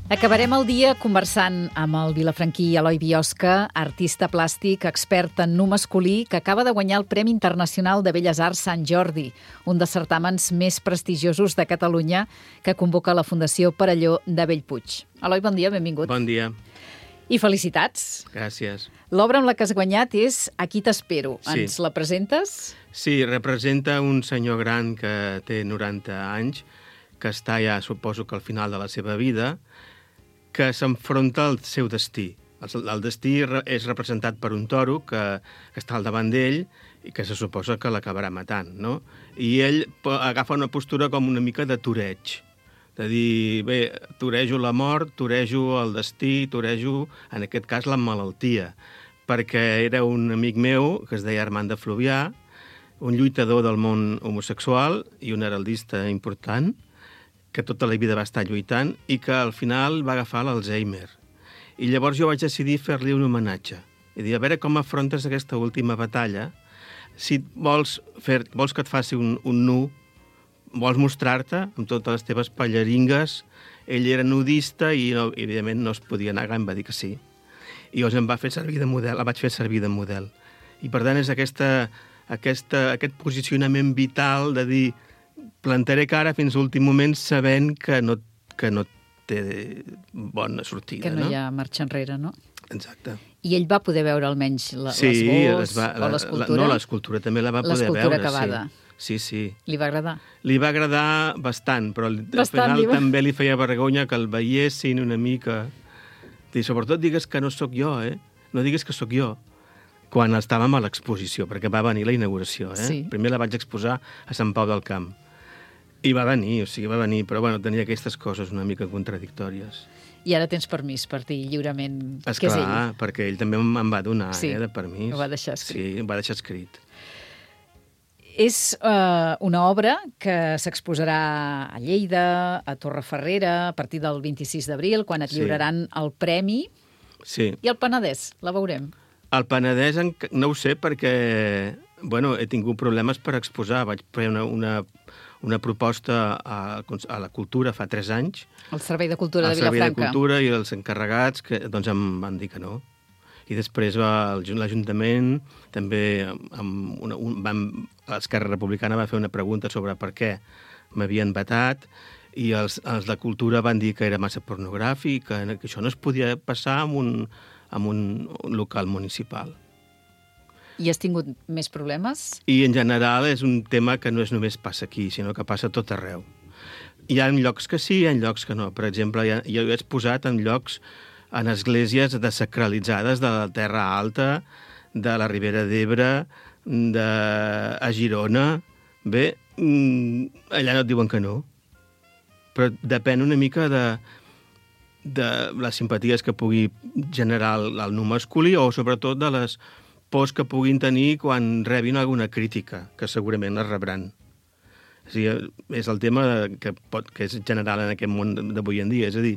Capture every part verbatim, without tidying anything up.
Acabarem el dia conversant amb el vilafranquí Eloi Biosca, artista plàstic, expert en nu masculí, que acaba de guanyar el Premi Internacional de Belles Arts Sant Jordi, un dels certàmens més prestigiosos de Catalunya que convoca la Fundació Perelló de Bellpuig. Eloi, bon dia, benvingut. Bon dia. I felicitats. Gràcies. L'obra amb la que has guanyat és Aquí t'espero. Sí. Ens la presentes? Sí, representa un senyor gran que té noranta anys, que està ja, suposo que al final de la seva vida, que s'enfronta al seu destí. El, el destí és representat per un toro que, que està al davant d'ell i que se suposa que l'acabarà matant, no? I ell agafa una postura com una mica de toreig, de dir, bé, torejo la mort, torejo el destí, torejo, en aquest cas, la malaltia, perquè era un amic meu que es deia Armand de Fluvià, un lluitador del món homosexual i un heraldista important, que tota la vida va estar lluitant i que al final va agafar l'Alzheimer. I llavors jo vaig decidir fer-li un homenatge. I dir, a veure com afrontes aquesta última batalla. Si vols, fer, vols que et faci un, un nu, vols mostrar-te amb totes les teves pallaringues. Ell era nudista i, no, evidentment, no es podia negar, em va dir que sí. I llavors em va fer servir de model, la vaig fer servir de model. I per tant és aquesta, aquesta, aquest posicionament vital de dir plantaré cara fins a l'últim moment sabent que no, que no té bona sortida. Que no, no hi ha marxa enrere, no? Exacte. I ell va poder veure almenys la, sí, les va, o l'escultura? No, l'escultura també la va poder veure. L'escultura acabada. Sí. sí, sí. Li va agradar? Li va agradar bastant, però bastant, al final li va... també li feia vergonya que el veiessin una mica. I sobretot digues que no sóc jo, eh? No digues que sóc jo. Quan estàvem a l'exposició, perquè va venir la inauguració, eh? Sí. Primer la vaig exposar a Sant Pau del Camp. I va venir, o sigui, va venir, però bueno, tenia aquestes coses una mica contradictòries. I ara tens permís per dir lliurement Esclar, que és ell. perquè ell també me'n va donar, sí, eh, de permís. ho va deixar escrit. Sí, ho va deixar escrit. És uh, una obra que s'exposarà a Lleida, a Torreferrera, a partir del vint-i-sis d'abril, quan et Sí. lliuraran el premi. Sí. I el Penedès, la veurem. El Penedès no ho sé perquè, bueno, he tingut problemes per exposar. Vaig fer una, una, una proposta a, a la Cultura fa tres anys. El Servei de Cultura de El Servei Vilafranca. de Cultura i els encarregats, que doncs em van dir que no. I després va l'Ajuntament, també amb una, un, van, l'Esquerra Republicana va fer una pregunta sobre per què m'havien vetat, i els, els de Cultura van dir que era massa pornogràfic, que, que això no es podia passar en un, en un, un local municipal. I has tingut més problemes? I en general és un tema que no és només passa aquí, sinó que passa a tot arreu. Hi ha llocs que sí, hi ha llocs que no. Per exemple, ja, jo he exposat en llocs, en esglésies desacralitzades de la Terra Alta, de la Ribera d'Ebre, de... a Girona. Bé, allà no et diuen que no. Però depèn una mica de, de les simpaties que pugui generar el, el nu masculí o sobretot de les pors que puguin tenir quan rebin alguna crítica, que segurament les rebran. O sigui, és el tema que, pot, que és general en aquest món d'avui en dia. És a dir,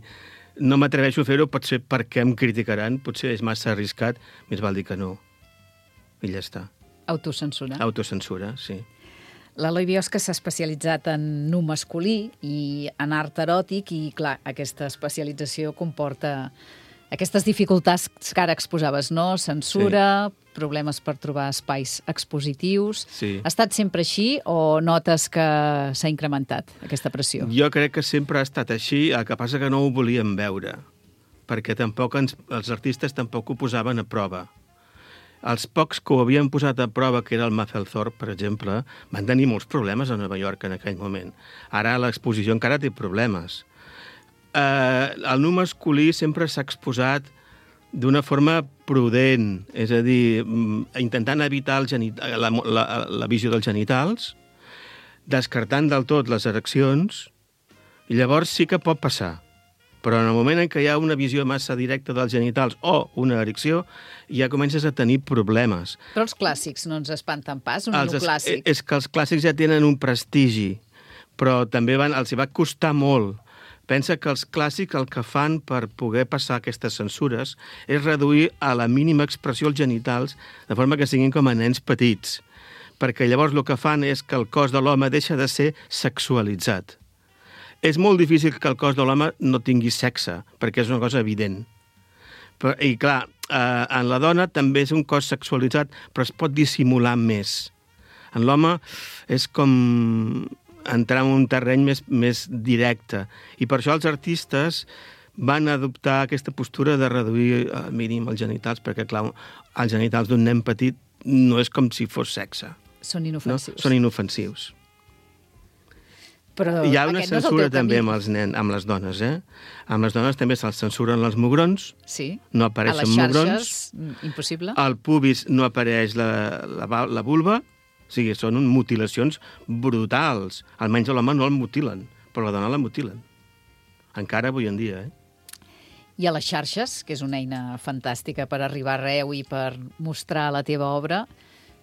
no m'atreveixo a fer-ho, potser perquè em criticaran, potser és massa arriscat, més val dir que no. I ja està. Autocensura. Autocensura, sí. L'Eloi Biosca s'ha especialitzat en nu masculí i en art eròtic i, clar, aquesta especialització comporta aquestes dificultats que ara exposaves, no? Censura, sí. Problemes per trobar espais expositius. Sí. Ha estat sempre així o notes que s'ha incrementat aquesta pressió? Jo crec que sempre ha estat així, el que passa que no ho volíem veure, perquè tampoc ens, els artistes tampoc ho posaven a prova. Els pocs que ho havien posat a prova, que era el Mapplethorpe, per exemple, van tenir molts problemes a Nova York en aquell moment. Ara l'exposició encara té problemes. Eh, el nu masculí sempre s'ha exposat d'una forma prudent, és a dir, intentant evitar el genital, la, la, la visió dels genitals, descartant del tot les ereccions, i llavors sí que pot passar. Però en el moment en què hi ha una visió massa directa dels genitals o una erecció, ja comences a tenir problemes. Però els clàssics no ens espanten pas, un nu clàssic. És que els clàssics ja tenen un prestigi, però també van, els hi va costar molt. Pensa que els clàssics el que fan per poder passar aquestes censures és reduir a la mínima expressió els genitals, de forma que siguin com a nens petits. Perquè llavors el que fan és que el cos de l'home deixa de ser sexualitzat. És molt difícil que el cos de l'home no tingui sexe, perquè és una cosa evident. Però, i clar, eh, en la dona també és un cos sexualitzat, però es pot dissimular més. En l'home és com entrar en un terreny més, més directe. I per això els artistes van adoptar aquesta postura de reduir al mínim els genitals, perquè, clar, els genitals d'un nen petit no és com si fos sexe. Són inofensius. No? Són inofensius. Però hi ha una aquest no és el censura teu també camí. amb, els nen, amb les dones, eh? Amb les dones també se'ls censuren els mugrons, Sí. no A apareixen les mugrons, xarxes, mm, impossible. al pubis no apareix la, la, va- la vulva, o sigui, són mutilacions brutals. Almenys a l'home no el mutilen, però la dona la mutilen. Encara avui en dia, eh? I a les xarxes, que és una eina fantàstica per arribar arreu i per mostrar la teva obra,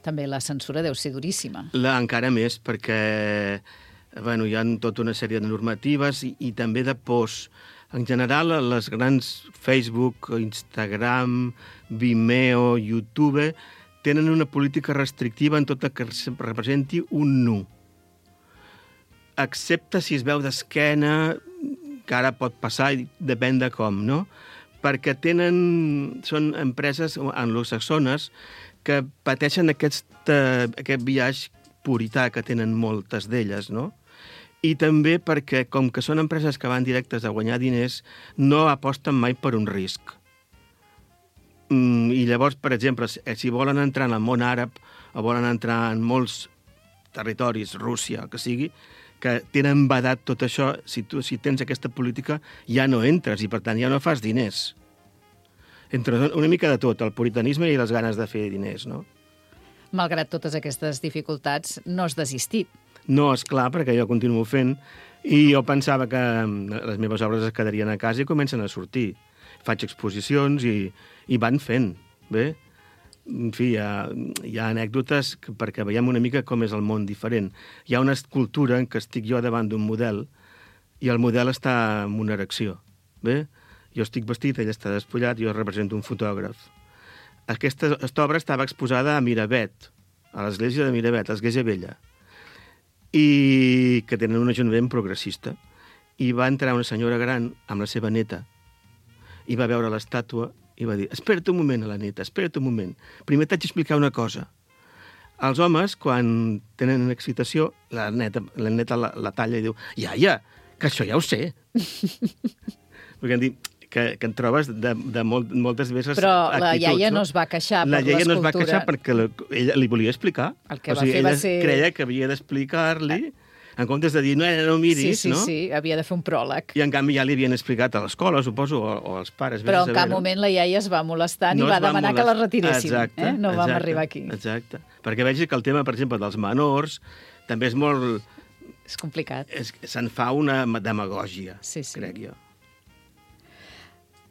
també la censura deu ser duríssima. La, encara més, perquè bueno, hi ha tota una sèrie de normatives i, i també de pors. En general, les grans Facebook, Instagram, Vimeo, YouTube, tenen una política restrictiva en tot el que representi un nu. Excepte si es veu d'esquena, que ara pot passar i depèn de com, no? Perquè tenen, són empreses anglosaxones que pateixen aquest, uh, aquest viatge purità que tenen moltes d'elles, no? I també perquè, com que són empreses que van directes a guanyar diners, no aposten mai per un risc. Mm, I llavors, per exemple, si, si volen entrar en el món àrab o volen entrar en molts territoris, Rússia, el que sigui, que tenen vedat tot això, si tu si tens aquesta política ja no entres i per tant ja no fas diners. Entre una mica de tot, el puritanisme i les ganes de fer diners, no? Malgrat totes aquestes dificultats, no has desistit. No, és clar, perquè jo continuo fent i jo pensava que les meves obres es quedarien a casa i comencen a sortir. Faig exposicions i, i van fent, bé? En fi, hi ha, hi ha anècdotes que, perquè veiem una mica com és el món diferent. Hi ha una escultura en què estic jo davant d'un model i el model està en una erecció, bé? Jo estic vestit, ell està despullat, jo represento un fotògraf. Aquesta, aquesta obra estava exposada a Miravet, a l'església de Miravet, a l'església vella, i que tenen un ajuntament progressista. I va entrar una senyora gran amb la seva neta i va veure l'estàtua i va dir, espera't un moment a la neta, espera't un moment. Primer t'haig d'explicar una cosa. Els homes, quan tenen excitació, la neta la, neta la, la talla i diu, iaia, que això ja ho sé. Perquè em diu, que, que en trobes de, de molt, moltes vegades Però actituds, la iaia no es va queixar la per iaia l'escultura. no es va queixar perquè la, ella li volia explicar. El que o va sigui, fer va ella ser... creia que havia d'explicar-li, en comptes de dir, no, no miris, sí, sí, no? sí, havia de fer un pròleg. I en canvi ja li havien explicat a l'escola, suposo, o, o als pares. Però vés a en cap saber, moment la iaia es va molestar ni no va es va demanar molest- que la retiréssim. Exacte, eh? No vam exacte, arribar aquí. Exacte. Perquè vegi que el tema, per exemple, dels menors, també és molt... És complicat. És, se'n fa una demagògia, Sí, sí. crec jo.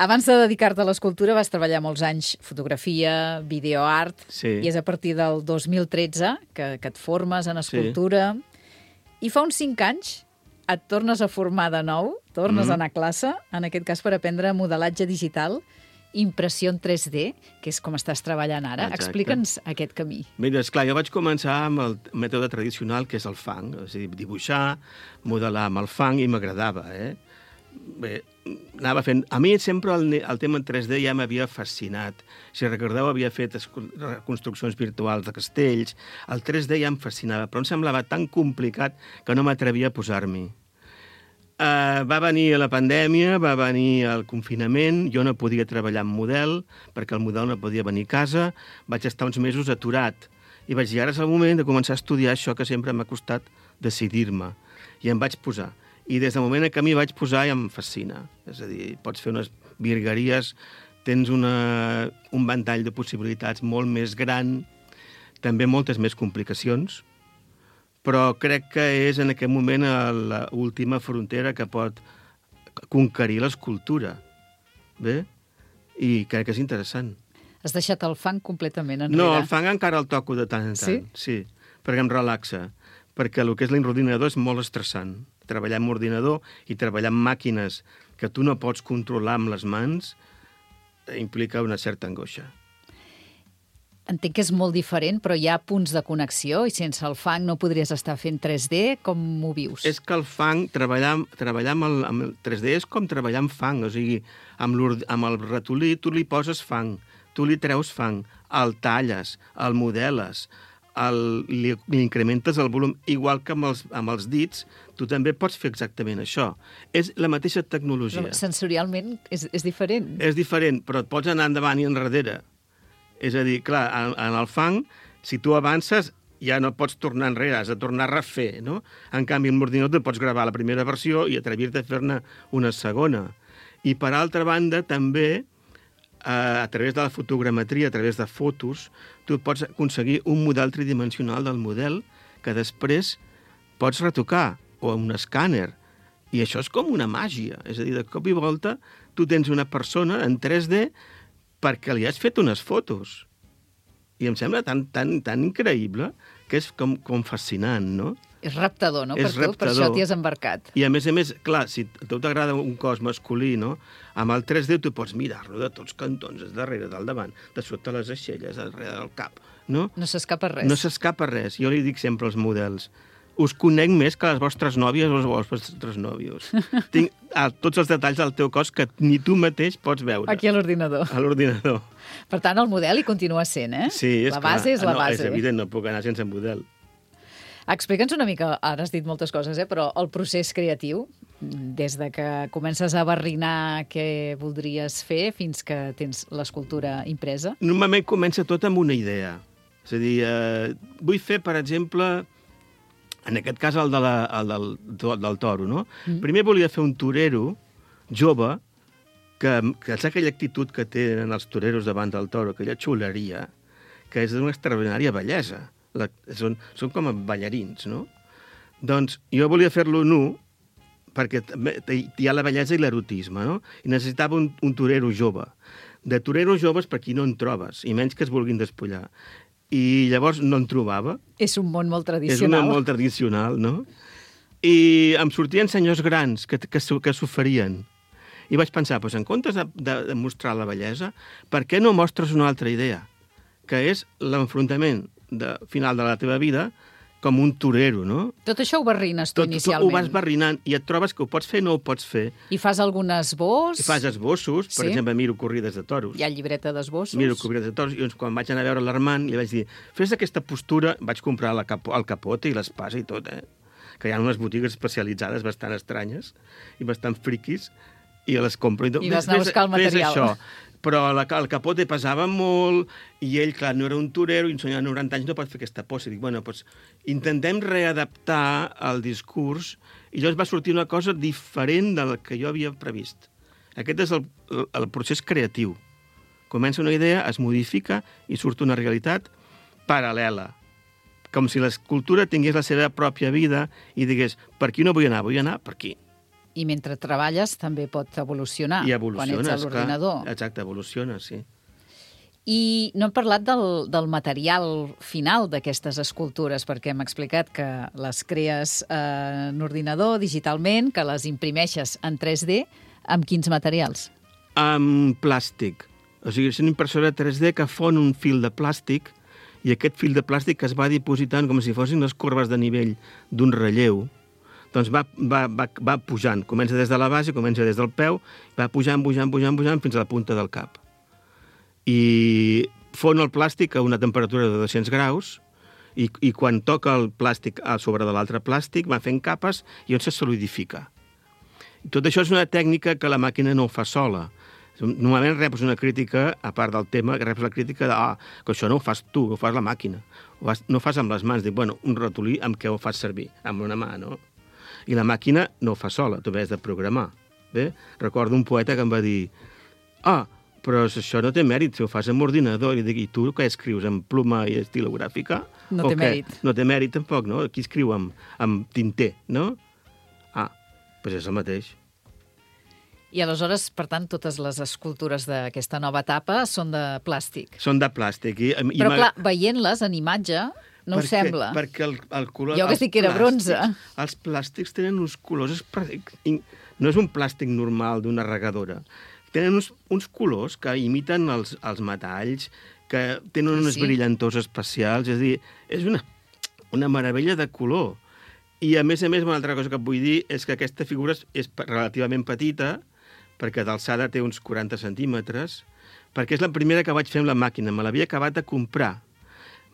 Abans de dedicar-te a l'escultura vas treballar molts anys fotografia, videoart, Sí. i és a partir del dos mil tretze que, que et formes en escultura. I fa uns cinc anys et tornes a formar de nou, tornes Mhm. a anar a classe, en aquest cas per aprendre modelatge digital, impressió en tres D, que és com estàs treballant ara. Exacte. Explica'ns aquest camí. Mira, esclar, jo vaig començar amb el mètode tradicional, que és el fang, és a dir, dibuixar, modelar amb el fang, i m'agradava, eh? Bé, anava fent... A mi sempre el, el tema en tres D ja m'havia fascinat. Si recordeu, havia fet escu- reconstruccions virtuals de castells. El tres D ja em fascinava, però em semblava tan complicat que no m'atrevia a posar-m'hi. Uh, va venir la pandèmia, va venir el confinament, jo no podia treballar amb model, perquè el model no podia venir a casa, vaig estar uns mesos aturat. I vaig dir, ara és el moment de començar a estudiar això que sempre m'ha costat decidir-me. I em vaig posar. I des del moment en què m'hi vaig posar ja em fascina. És a dir, pots fer unes virgueries, tens una, un ventall de possibilitats molt més gran, també moltes més complicacions, però crec que és en aquest moment l'última frontera que pot conquerir l'escultura. Bé? I crec que és interessant. Has deixat el fang completament enrere. No, el fang encara el toco de tant en tant. Sí? Sí, perquè em relaxa. Perquè el que és l'ordinador és molt estressant. Treballar amb ordinador i treballar amb màquines que tu no pots controlar amb les mans implica una certa angoixa. entenc que és molt diferent, però hi ha punts de connexió i sense el fang no podries estar fent tres D. Com ho vius? És que el fang, treballar, treballar amb, el, amb el tres D és com treballar amb fang, o sigui, amb, amb el ratolí tu li poses fang, tu li treus fang, el talles, el modeles, el, li, li incrementes el volum, igual que amb els, amb els dits, tu també pots fer exactament això. És la mateixa tecnologia. Però sensorialment és, és diferent. És diferent, però et pots anar endavant i enrere. És a dir, clar, en, en el fang, si tu avances, ja no pots tornar enrere, has de tornar a refer, no? En canvi, amb l'ordinador pots gravar la primera versió i atrevir-te a fer-ne una segona. I, per altra banda, també, eh, a través de la fotogrametria, a través de fotos, tu pots aconseguir un model tridimensional del model que després pots retocar, o un escàner. I això és com una màgia. És a dir, de cop i volta, tu tens una persona en tres D perquè li has fet unes fotos. I em sembla tan, tan, tan increïble que és com, com fascinant, no? És reptador, no? És per tu, reptador. Per això t'hi has embarcat. I a més a més, clar, si a tu t'agrada un cos masculí, no? Amb el tres D tu pots mirar-lo de tots cantons, des darrere, del davant, de sota les aixelles, darrere del cap, no? No s'escapa res. No s'escapa res. Jo li dic sempre als models, us conec més que les vostres nòvies o els vostres nòvios. Tinc a, tots els detalls del teu cos que ni tu mateix pots veure. Aquí a l'ordinador. A l'ordinador. Per tant, el model hi continua sent, eh? Sí, és la clar. base és la no, base. És evident, no puc anar sense model. Explica'ns una mica, ara has dit moltes coses, eh? Però el procés creatiu, des de que comences a barrinar què voldries fer fins que tens l'escultura impresa? Normalment comença tot amb una idea. És a dir, eh, vull fer, per exemple, en aquest cas el, de la, el del, del toro, no? Mm. Primer volia fer un torero jove, que, que és aquella actitud que tenen els toreros davant del toro, aquella xuleria, que és d'una extraordinària bellesa. La, són, són com ballarins, no? Doncs jo volia fer-lo nu, perquè hi ha la bellesa i l'erotisme, no? I necessitava un, un torero jove. De toreros joves per aquí no en trobes, i menys que es vulguin despullar. I llavors no en trobava. És un món molt tradicional. És un món molt tradicional, no? I em sortien senyors grans que, que, que s'oferien. I vaig pensar, doncs, en comptes de, de, de mostrar la bellesa, per què no mostres una altra idea? Que és l'enfrontament de, final de la teva vida com un torero, no? Tot això ho barrines tu Tot, inicialment. Tot ho vas barrinant i et trobes que ho pots fer o no ho pots fer. I fas algun esbós? I fas esbossos, per sí? exemple, miro corrides de toros. Hi ha llibreta d'esbossos? Miro corrides de toros, i quan vaig anar a veure l'Armand li vaig dir, fes aquesta postura, vaig comprar la capo, el capote i l'espasa i tot, eh? Que hi ha unes botigues especialitzades bastant estranyes i bastant friquis, i les compro. I vas anar a buscar el material. Fes això. Però la, el capote pesava molt, i ell, clar, no era un torero, i un senyor de noranta anys no pot fer aquesta posa. I dic, bueno, doncs intentem readaptar el discurs, i llavors va sortir una cosa diferent del que jo havia previst. Aquest és el, el procés creatiu. Comença una idea, es modifica, i surt una realitat paral·lela. Com si l'escultura tingués la seva pròpia vida i digués, per aquí no vull anar, vull anar per aquí. I mentre treballes també pot evolucionar. I evoluciones, quan ets a l'ordinador. Clar. Exacte, evoluciona, sí. I no hem parlat del, del material final d'aquestes escultures, perquè hem explicat que les crees eh, en ordinador, digitalment, que les imprimeixes en tres D. Amb quins materials? Amb plàstic. O sigui, és una impressora tres D que fon un fil de plàstic i aquest fil de plàstic es va dipositant com si fossin les corbes de nivell d'un relleu. Doncs va, va, va, va pujant. Comença des de la base, comença des del peu, va pujant, pujant, pujant, pujant, fins a la punta del cap. I fon el plàstic a una temperatura de dos-cents graus i, i quan toca el plàstic a sobre de l'altre plàstic va fent capes i on se solidifica. I tot això és una tècnica que la màquina no ho fa sola. Normalment reps una crítica, a part del tema, reps la crítica de ah, que això no ho fas tu, ho fas la màquina. Ho fas, no ho fas amb les mans. Dic, bueno, un ratolí amb què ho fas servir? Amb una mà, no? I la màquina no ho fa sola, tu has de programar. Bé? Recordo un poeta que em va dir ah, però això no té mèrit, si ho fas amb ordinador. I dic, i tu què escrius, amb pluma i estilogràfica? No té mèrit. No té mèrit tampoc, no? Aquí escriu amb, amb tinter, no? Ah, doncs és el mateix. I aleshores, per tant, totes les escultures d'aquesta nova etapa són de plàstic. Són de plàstic. I, i però, clar, veient-les en imatge, no perquè, ho sembla. Perquè el, el color... Jo que sí que era bronze. Els plàstics tenen uns colors... No és un plàstic normal d'una regadora. Tenen uns, uns colors que imiten els, els metalls que tenen unes Sí. brillantors especials, és a dir, és una, una meravella de color. I, a més a més, una altra cosa que et vull dir és que aquesta figura és, és relativament petita, perquè d'alçada té uns quaranta centímetres, perquè és la primera que vaig fer amb la màquina. Me l'havia acabat de comprar.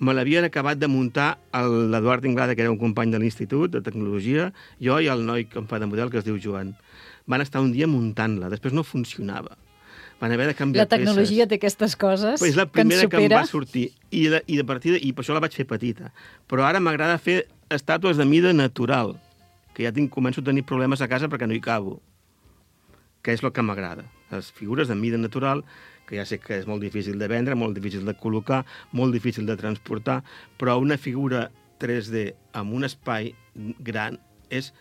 Me l'havien acabat de muntar l'Eduard Inglada, que era un company de l'institut de tecnologia, jo i el noi que em fa de model, que es diu Joan. Van estar un dia muntant-la, després no funcionava. Van haver de canviar La tecnologia peces. té aquestes coses Però és la que ens primera que, em supera. va sortir. I, de, i, de partida, I per això la vaig fer petita. Però ara m'agrada fer estàtues de mida natural, que ja tinc, començo a tenir problemes a casa perquè no hi cabo. Que és el que m'agrada. Les figures de mida natural, que ja sé que és molt difícil de vendre, molt difícil de col·locar, molt difícil de transportar, però una figura tres D amb un espai gran és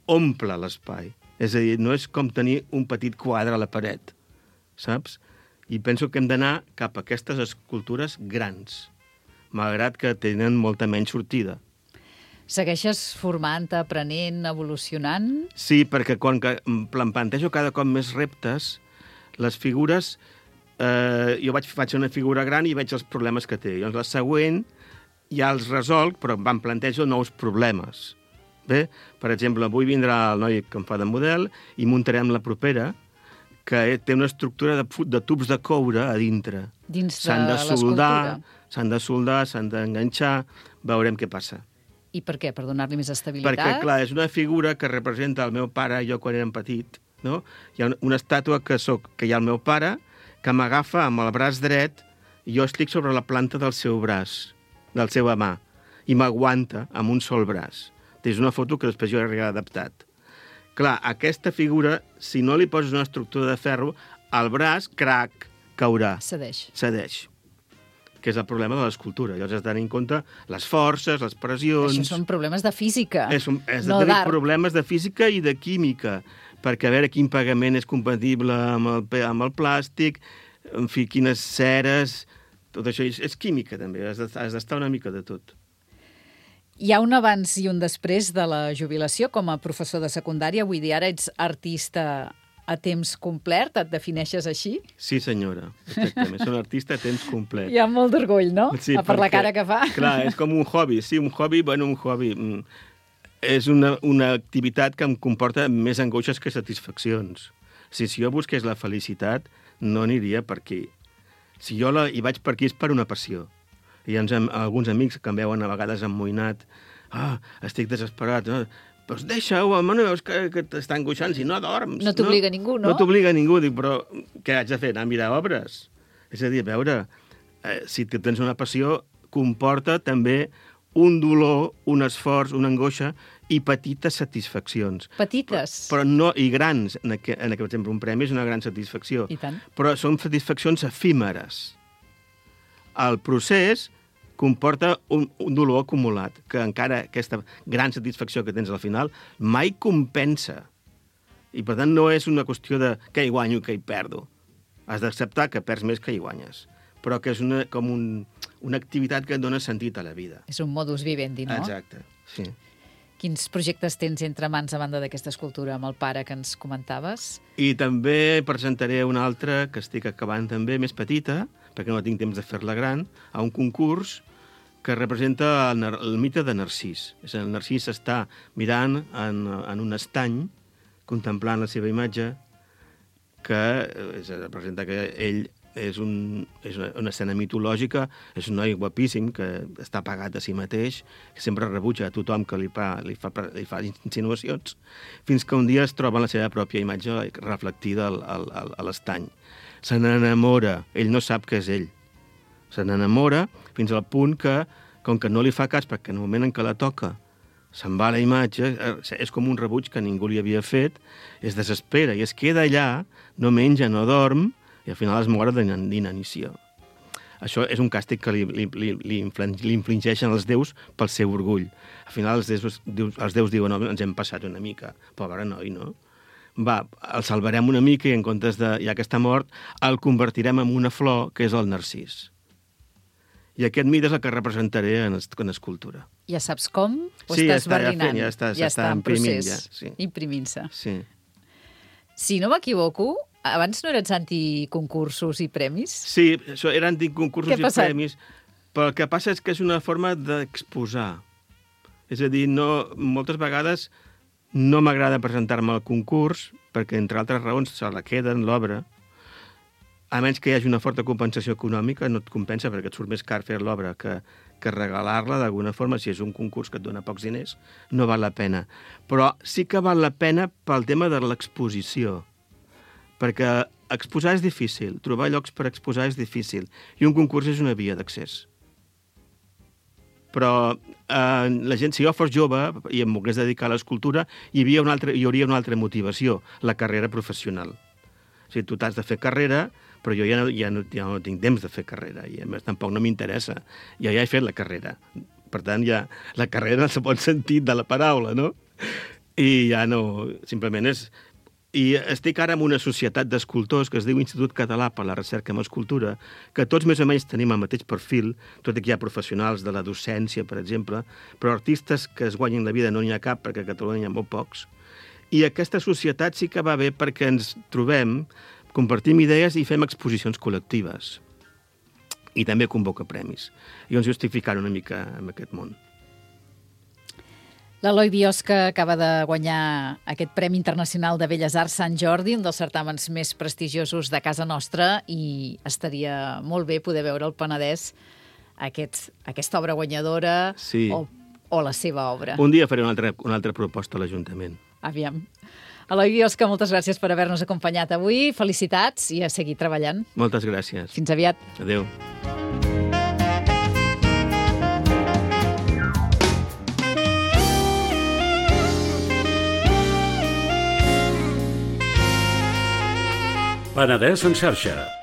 omple l'espai. És a dir, no és com tenir un petit quadre a la paret, saps? I penso que hem d'anar cap a aquestes escultures grans, malgrat que tenen molta menys sortida. Segueixes formant, aprenent, evolucionant? Sí, perquè quan que em plantejo cada cop més reptes, les figures... Eh, jo vaig, faig una figura gran i veig els problemes que té. Llavors, la següent ja els resolc, però em plantejo nous problemes. Bé? Per exemple, avui vindrà el noi que em fa de model i muntarem la propera, que té una estructura de, de tubs de coure a dintre. Dins de S'han de l'escultura. soldar, s'han de soldar, s'han d'enganxar, veurem què passa. I per què? Per donar-li més estabilitat? Perquè, clar, és una figura que representa el meu pare i jo quan érem petit, no? Hi ha una estàtua que, soc, que hi ha el meu pare, que m'agafa amb el braç dret i jo estic sobre la planta del seu braç, del seva mà, i m'aguanta amb un sol braç. És una foto que després jo he adaptat. Clar, aquesta figura, si no li poses una estructura de ferro, el braç, crac, caurà. Cedeix. Cedeix. Que és el problema de l'escultura. Llavors has de tenir en compte les forces, les pressions... Això són problemes de física, És, un, és no de tenir d'art. problemes de física i de química, perquè a veure quin pagament és compatible amb el, pe- amb el plàstic, en fi, quines ceres... Tot això és, és química, també. Has d'estar has d'estar una mica de tot. Hi ha un abans i un després de la jubilació com a professor de secundària. Vull dir, ara ets artista a temps complet, et defineixes així? Sí, senyora, exactament. Soc un artista a temps complet. Hi ha molt d'orgull, no? Sí, per la perquè, cara que fa. Clar, és com un hobby. Sí, un hobby, bueno, un hobby... mm, És una, una activitat que em comporta més angoixes que satisfaccions. Si, si jo busqués la felicitat, no aniria per aquí. Si jo la, hi vaig per aquí és per una passió. I ens, alguns amics que em veuen a vegades emmoïnat, ah, estic desesperat, no? Doncs deixa-ho, home, no veus que, que t'està angoixant si no dorms. No t'obliga ningú, no? No t'obliga ningú, dic, però què haig de fer? Anar a mirar obres? És a dir, a veure, eh, si tens una passió, comporta també un dolor, un esforç, una angoixa i petites satisfaccions. Petites? Però, però no, i grans. En aquest, en aquest, per exemple, un premi és una gran satisfacció. I tant. Però són satisfaccions efímeres. El procés comporta un, un dolor acumulat, que encara aquesta gran satisfacció que tens al final mai compensa. I, per tant, no és una qüestió de què hi guanyo, què hi perdo. Has d'acceptar que perds més que hi guanyes, però que és una, com un, una activitat que et dona sentit a la vida. És un modus vivendi, no? Exacte, sí. Quins projectes tens entre mans a banda d'aquesta escultura amb el pare que ens comentaves? I també presentaré una altra que estic acabant també, més petita, perquè no tinc temps de fer-la gran, a un concurs que representa el, el mite de Narcís. És el Narcís està mirant en, en un estany, contemplant la seva imatge, que és, representa que ell és, un, és una, una escena mitològica, és un noi guapíssim que està pagat a si mateix, que sempre rebutja a tothom que li fa, li fa, li fa insinuacions, fins que un dia es troba la seva pròpia imatge reflectida al, al, al, a l'estany. Se n'enamora, ell no sap que és ell. Se n'enamora fins al punt que, com que no li fa cas, perquè en el moment en què la toca se'n va la imatge, és com un rebuig que ningú li havia fet, es desespera i es queda allà, no menja, no dorm, i al final es mor d'inanició. Això és un càstig que li, li, li, li infligeixen els déus pel seu orgull. Al final els déus, els déus diuen, no, ens hem passat una mica, pobre noi, no? Va, el salvarem una mica i en comptes de, ja que està mort, el convertirem en una flor, que és el narcís. I aquest mite és el que representaré en, en escultura. Ja saps com? O sí, estàs ja està, barrinant? ja, fent, ja està, ja està imprimint, procés, ja. Sí. Imprimint-se. Sí. Si no m'equivoco, abans no eres anticoncursos i premis? Sí, això eren anticoncursos i passat? premis, però el que passa és que és una forma d'exposar. És a dir, no, moltes vegades no m'agrada presentar-me al concurs, perquè, entre altres raons, se la queden l'obra. A menys que hi hagi una forta compensació econòmica, no et compensa perquè et surt més car fer l'obra que, que regalar-la d'alguna forma. Si és un concurs que et dona pocs diners, no val la pena. Però sí que val la pena pel tema de l'exposició. Perquè exposar és difícil, trobar llocs per exposar és difícil, i un concurs és una via d'accés. Però eh, la gent, si jo fos jove i em volgués dedicar a l'escultura, hi, havia una altra, hi hauria una altra motivació, la carrera professional. O sigui, tu t'has de fer carrera, però jo ja no, ja, no, ja no tinc temps de fer carrera, i a més tampoc no m'interessa. Jo ja he fet la carrera. Per tant, ja la carrera en el bon sentit de la paraula, no? I ja no... Simplement és... I estic ara en una societat d'escultors que es diu Institut Català per la Recerca en Escultura, que tots més o menys tenim el mateix perfil, tot i que hi ha professionals de la docència, per exemple, però artistes que es guanyin la vida no n'hi ha cap, perquè a Catalunya hi ha molt pocs. I aquesta societat sí que va bé perquè ens trobem, compartim idees i fem exposicions col·lectives. I també convoca premis. I ens justificar una mica en aquest món. L'Eloi Biosca acaba de guanyar aquest Premi Internacional de Belles Arts Sant Jordi, un dels certàmens més prestigiosos de casa nostra, i estaria molt bé poder veure al Penedès aquest, aquesta obra guanyadora sí. o, o la seva obra. Un dia faré una altra, una altra proposta a l'Ajuntament. Aviam. Eloi Biosca, moltes gràcies per haver-nos acompanyat avui. Felicitats i a seguir treballant. Moltes gràcies. Fins aviat. Adéu. Penedès en xarxa.